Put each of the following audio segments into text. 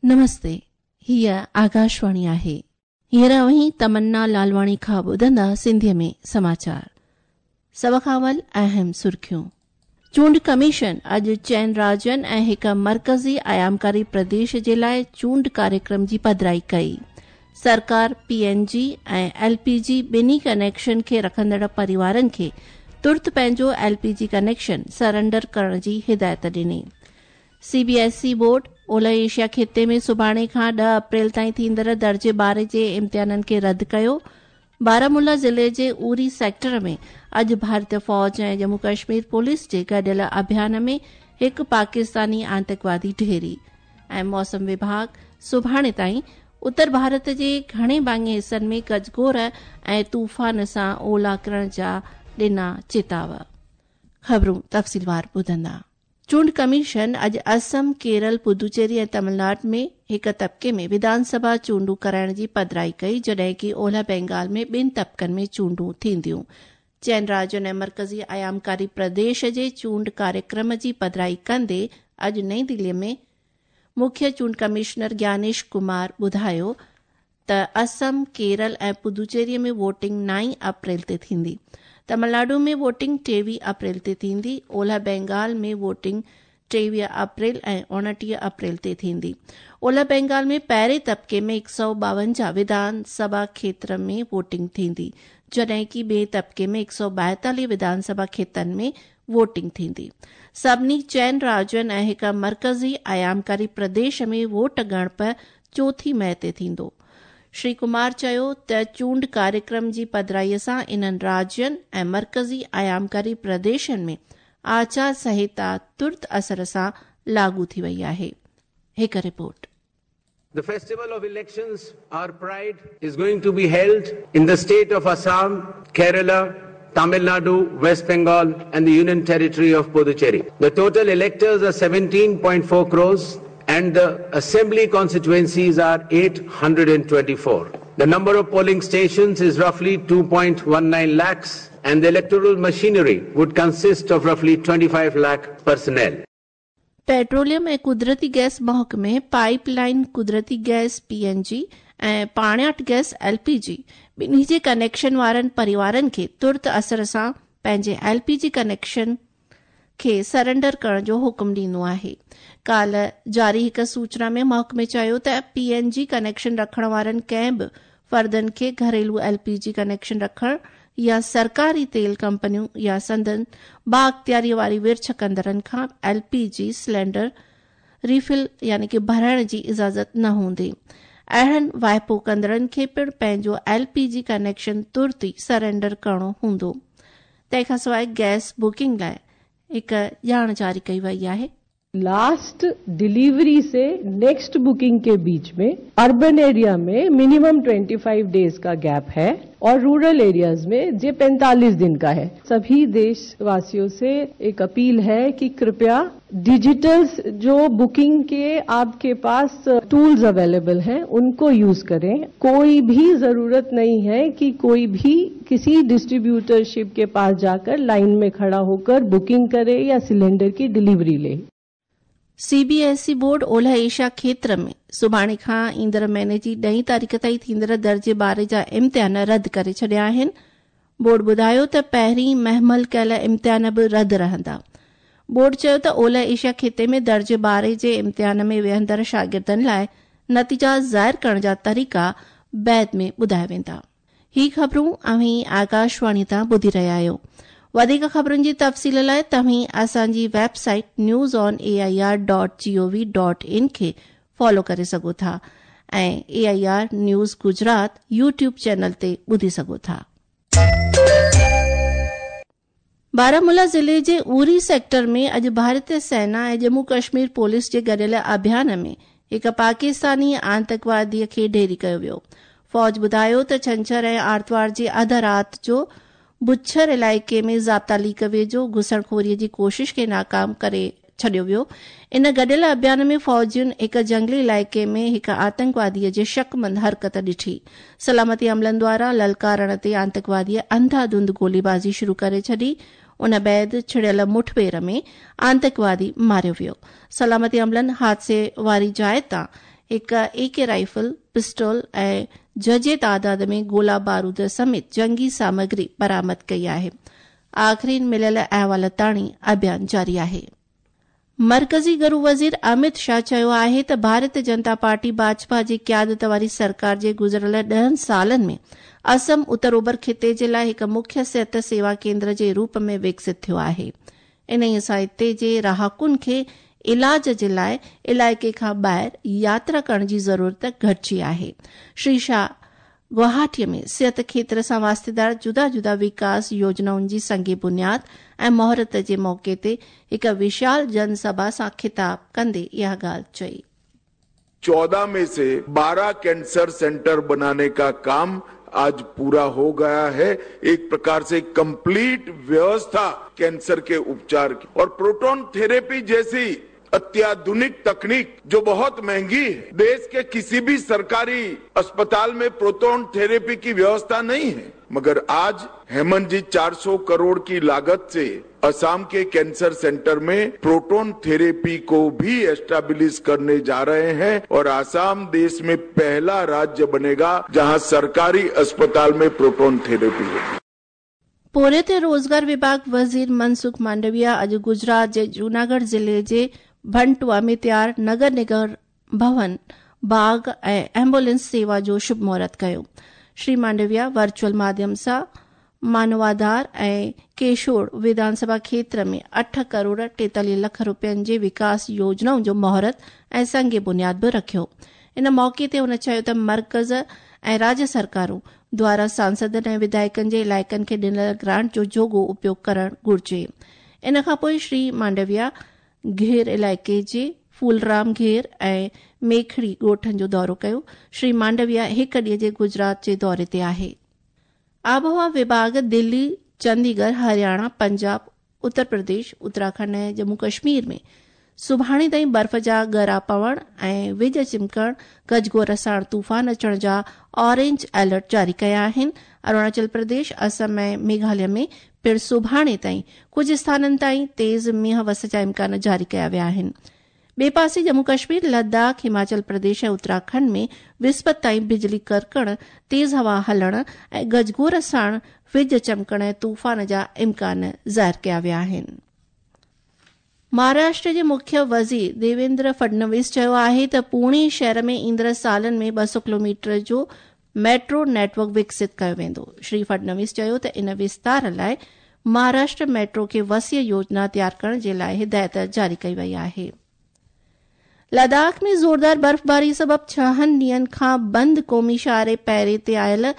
نمستي، هيء آڪاشواڻي آهي. هينئر اوهين تمنا لالواڻي کان ٻڌندا سنڌيء ۾ سماچار. سڀ کان اول اهم سرخيون. چونڊ ڪميشن اڄ چئن راجين ۽ هڪ مرڪزي ايامڪاري پرديش جي لاء چونڊ ڪاريڪرم جي پڌرائي ڪئي. سرڪار P N G ۽ L P جي ٻنهي ڪنيڪشن کي رکندڙ پريوارن کي ترت پنهنجو L P G connection surrender ڪرڻ جي هدايت ڏني. C B S E board اولهه ايشيا خطي ۾ سڀاڻي کان ڏهه اپريل تائين ٿيندڙ درجي ٻارهين جي امتحانن کي رد ڪيو. بارامولا ضلعي جي اوري سيڪٽر ۾ اڄ ڀارتي فوج ۽ ڄمون ڪشمير پوليس جي گڏيل اڀيان ۾ هڪ پاڪستاني آتنڪوادي ڍيري ۽ موسم وڀاڳ سڀاڻي تائين اتر ڀارت جي گهڻي ڀاڱي حصن ۾ گجگوڙ ۽ طوفان سان اولا ڪرڻ جا ڏنا چتاء. خبرون تفصيلوار ٻڌندا. چونڊ ڪميشن اڄ اسم، ڪيرل، پدوچيري ۽ تمل ناڊ ۾ هڪ طبقي ۾ وڌان سڀا چونڊون ڪرائڻ جي پڌرائي ڪئي جڏهن ڪي اولهه بينگال ۾ ٻن طبقن ۾ چونڊون ٿينديون. چئن راجين ۽ مرڪزي ايامڪاري پرديش جي چونڊ ڪاريڪرم جي پڌرائي ڪندي اڄ نئين دهلي ۾ مکيه چونڊ ڪمشنر گيانيش ڪمار ٻڌايو ته اسم، ڪيرل ۽ پدوچيري ۾ ووٽنگ نائين اپريل تي ٿيندي. تمل ناڊو ۾ ووٽنگ 23 اپريل تي ٿيندي. اولهه بينگال ۾ ووٽنگ 23 اپريل ۽ 29 اپريل تي ٿيندي. اولهه بينگال ۾ پهرين طبقي ۾ 152 وڌان سڀا کيتر ۾ ووٽنگ ٿيندي، جڏهن ڪي ٻئي طبقي ۾ 142 وڌان سڀا کيتن ۾ ووٽنگ ٿيندي. سڀني چئن راجين ۽ هڪ مرڪزي ايامڪاري پرديش ۾ ووٽ ڳڻپ چوٿين مئي تي ٿيندو. شري ڪمار چيو ته چونڊ ڪاريڪرم جي پڌرائي سان انهن راجين ۽ مرڪزي ايامڪاري پرديشن ۾ آچار سنهتا ترت اثر سان لاڳو ٿي وئي آهي. هڪ report. The festival of elections, our pride, is going to be held in the state of Assam, Kerala, Tamil Nadu, West Bengal and the Union Territory of Puducherry. The total electors are 17.4 crores and the assembly constituencies are 824. The number of polling stations is roughly 2.19 lakhs and the electoral machinery would consist of roughly 25 lakh personnel. Petroleum ۽ قدرتي gas محڪمي pipe line قدرتي gas, P N جي، ۽ پاڻياٺ gas, L P جي، ٻنهي جي connection وارن پريوارن کي ترت اثر سان پنهنجي ايل پي جي ڪنيڪشن کي سرنڊر ڪرڻ جو حڪم ڏنو آهي. ڪالهه جاري هڪ سوچنا ۾ محڪمي چيو ته پي اين جي ڪنيڪشن رکڻ وارن ڪنهن به فردن کي گهريلو ايل پي جي ڪنيڪشن رکڻ يا سرڪاري تيل ڪمپنيون يا سندن بااختياري واري ورڇ ڪندڙن کان L P G cylinder refill يعني ڪي ڀرائڻ جي اجازت نه هوندي. اهڙن واهپو ڪندڙن کي پڻ پنهنجو ايل پي جي ڪنيڪشن ترت ئي سرينڊر ڪرڻو هوندو. تنهن کانسواء گئس بڪنگ لاء هڪ ڄاڻ جاري ڪئي وئي آهي. लास्ट डिलीवरी से नेक्स्ट बुकिंग के बीच में अर्बन एरिया में मिनिमम 25 डेज का गैप है और रूरल एरियाज में जे 45 दिन का है। सभी देशवासियों से एक अपील है कि कृपया डिजिटल जो बुकिंग के आपके पास टूल्स अवेलेबल हैं उनको यूज करें। कोई भी जरूरत नहीं है कि कोई भी किसी डिस्ट्रीब्यूटरशिप के पास जाकर लाइन में खड़ा होकर बुकिंग करे या सिलेंडर की डिलीवरी ले। سي بي ايس اي بورڊ اولهه ايشيا کيتر ۾ سڀاڻي کان ايندڙ مهيني جي ڏهين تاريخ تائين ٿيندڙ درجي ٻارهين جا امتحان رد ڪري ڇڏيا آهن. بورڊ ٻڌايو ته پهرين مهمل ڪيل امتحان به رد رهندا. بورڊ چيو ته اولهه ايشيا خطي ۾ درجي ٻارهين جي امتحان ۾ ويهندڙ شاگردن لاء نتيجا ظاهر ڪرڻ جا طريقا بعد ۾ ٻڌايا ويندا. هي خبرون اوهين آڪاشواڻي تان ٻڌي رهيا آهيو. وڌيڪ خبرن جي تفصيل لاء توهين اسان جي website news on A I R dot G O V dot in کي فالو ڪري سگهو ٿا ۽ A I R news Gujarat YouTube channel تي ٻڌي سگهو ٿا. بارامولا ضلعي جي اوري سيڪٽر ۾ اڄ ڀارتي سينا ۽ ڄمون ڪشمير پوليس جي گڏيل اڀيان ۾ هڪ پاڪستاني آتنڪوادي کي ڍيري ڪيو ويو. فوج ٻڌايو ته ڇنڇر ۽ آرتوار جي اڌ رات جو بڇر علائقي ۾ ضابطا ليڪ ويجهو گهسڻخوري جي ڪوشش کي ناڪام ڪري ڇڏيو ويو. ان گڏيل اڀيان ۾ فوجين هڪ جهنگلي علائقي ۾ هڪ آتنڪواديء جي شڪمند حرڪت ڏٺي. سلامتي عملن دواران للڪارڻ تي آتنڪواديء انڌا ڌنڌ گوليبازي شروع ڪري ڇڏي. ان بعد ڇڙيل مٺڀيڙ ۾ آتنڪوادي ماريو ويو. سلامتي عملن حادثي واري جاء تان هڪ اي ڪي رائفل، پسٽول ۽ جهجهي تعداد ۾ گولا بارود سميت جنگي سامگري برآمد ڪئي آهي. آخرين مليل احوال تاڻي اڀيان جاري آهي. مرڪزي گهرو وزير امت شاهه چيو آهي ته ڀارتيه جنتا پارٽي ڀاجپا جي قيادت واري سرڪار جي گذريل ڏهن سالن ۾ اسم اتر اوڀر خطي جي لاء هڪ مکيه صحت سيوا ڪيندر جي روپ ۾ وڪست ٿيو آهي. انهيء سان هتي جي رهاڪن کي علاج جي لاء علائقي کان ٻاهر ياترا ڪرڻ جي ضرورت گهٽجي آهي. شري شاهه گواهاٽي ۾ صحت کيتر سان واسطيدار جدا جدا وڪاس يوجنائن جي سنگ بنياد ۽ مهورت جي موقعي تي هڪ وشال جن سڀا سان خطاب ڪندي اها ڳالهه چئي. 14 में से 12 कैंसर सेंटर बनाने का काम आज पूरा हो गया है। एक प्रकार से कंप्लीट व्यवस्था कैंसर के उपचार की और प्रोटॉन थेरेपी जैसी अत्याधुनिक तकनीक जो बहुत महंगी है, देश के किसी भी सरकारी अस्पताल में प्रोटॉन थेरेपी की व्यवस्था नहीं है, मगर आज हेमंत जी 400 करोड़ की लागत से असम के कैंसर सेंटर में प्रोटॉन थेरेपी को भी एस्टेब्लिश करने जा रहे हैं और असम देश में पहला राज्य बनेगा जहां सरकारी अस्पताल में प्रोटॉन थेरेपी होगी। पोरियत रोज़गार विभाग वज़ीर मनसुख मांडविया अॼु गुजरात जे जूनागढ़ ज़िले जे भंटुआ में तयार नगर निगम भवन बाग़ ऐं एम्बुलेंस सेवा जो शुभ मुहूर्त कयो। श्री मांडविया वर्चुअल माध्यम सां मानवाधार ऐं केशोड़ विधानसभा खेत्र में 8 करोड़ 43 लख रुपयनि जे विकास योजनाउनि जो मुहूर्त ऐं संग बुनियाद बि रखियो। इन मौक़े ते हुन चयो त मर्कज़ ऐं राज्य सरकारूं द्वारा सांसदनि ऐं विधायकनि जे इलाइक़नि खे ॾिनल ग्रांट जो जोॻो उपयोग करणु घुर्जे। इन खां पोइ श्री मांडविया घेर इलाइक़े जे फूलराम घेर ऐं मेखड़ी ॻोठनि जो दौरो कयो। श्री मांडविया हिकु ॾींहं जे गुजरात जे दौरे ते आहे। आबहवा विभाग दिल्ली, चंडीगढ़, हरियाणा, पंजाब, उत्तर प्रदेश, उत्तराखंड ऐं जम्मू कश्मीर में सुभाणे ताईं बर्फ़ जा ॻरा पवण ऐं विज चिमकण, गजगोर साण तूफ़ान अचण जा ऑरेंज अलर्ट जारी कया आहिनि। अरुणाचल प्रदेश, असम ऐं मेघालय में पिणु सुभाणे ताईं कुझु स्थाननि ताईं तेज़ मींहं वस जा इम्कान जारी कया विया आहिनि। ॿिए पासे जम्मू कश्मीर, लद्दाख, हिमाचल प्रदेश ऐं उत्तराखंड में विस्पत ताईं बिजली कड़कण, तेज़ हवा हलण ऐं गजगोर साण विज चमकण ऐं तूफ़ान जा इम्कान ज़ाहिर कया विया आहिनि। महाराष्ट्र जे मुख्य वज़ीर देवेंद्र फडणवीस चयो आहे त पुणे शहर में ईंदड़ सालनि में 200 किलोमीटर जो मेट्रो नेटवर्क विकसित कयो वेंदो। श्री फडणवीस चयो त इन विस्तार लाइ महाराष्ट्र मेट्रो खे वसीअ योजना तयार करण जे लाइ हिदायत जारी कई वई आहे। लद्दाख में ज़ोरदार बर्फ़बारी सबबि 6 ॾींहनि खां बंदि क़ौमी शाहरे पैरे ते आयल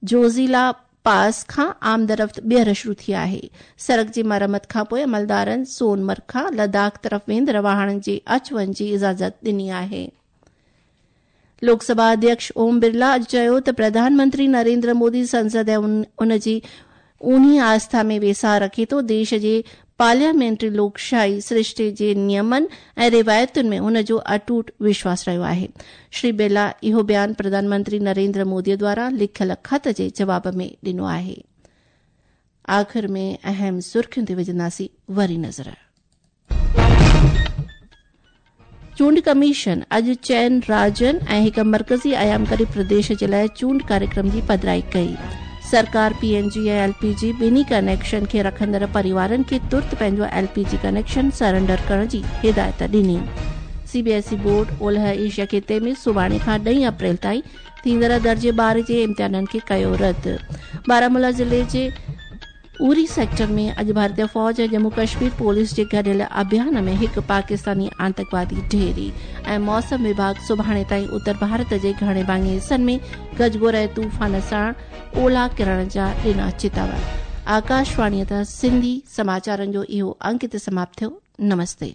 जोज़िला पास खां आमदरफ़्त ॿीहर शुरू थी आहे। सड़क जी मरमत खां पोइ अमलदारनि सोनमर्ग खां लद्दाख तरफ़ वेंदड़ वाहणनि जे अच वञ जी इजाज़त ॾिनी आहे। लोकसभा अध्यक्ष ओम बिरला अॼु चयो त प्रधानमंत्री नरेंद्र मोदी संसद ऐं उन जी ऊन्ही आस्था में वेसाह रखे थो। देश जे पार्लियामेंट्री लोकशाही सृष्टि जे नियमनि ऐं रिवायतुनि में हुन जो अटूट विश्वास रहियो आहे। श्री बिरला इहो बयान प्रधानमंत्री नरेंद्र मोदी द्वारा लिखियल ख़त जे जवाब में ॾिनो आहे। आख़िर में अहम सुर्खियुनि ते विझंदासीं वरी नज़र। चूंड कमीशन अॼु 4 राज्यनि ऐं हिकु मर्कज़ी आयामकरी प्रदेश जे लाइ चूंड कार्यक्रम जी पधराई कई। सरकार पीएनजी ऐं एलपीजी ॿिन्ही कनेक्शन खे रखंदड़ परिवारनि खे तुर्त पंहिंजो एलपीजी कनेक्शन सरेंडर करण जी हिदायत ॾिनी। सीबीएसई बोर्ड ओलह एशिया ख़िते में सुभाणे खां 10 अप्रैल ताईं थींदड़ दर्जे 12 जे इम्तिहाननि खे कयो रद्द। बारामूला ज़िले जे उरी सेक्टर में अॼु भारतीय फ़ौज ऐं जम्मू कश्मीर पुलिस जे गॾियल अभियान में हिकु पाकिस्तानी आतंकवादी ढेरी। ऐं मौसम विभाग सुभाणे ताईं उत्तर भारत जे घणे भाङे हिसनि में गजगोर ऐं तूफ़ान साण ओला किरण जा ॾिना चेतावनी। आकाशवाणीअ तां सिंधी समाचारनि जो इहो अंक हिते समाप्त थियो। नमस्ते।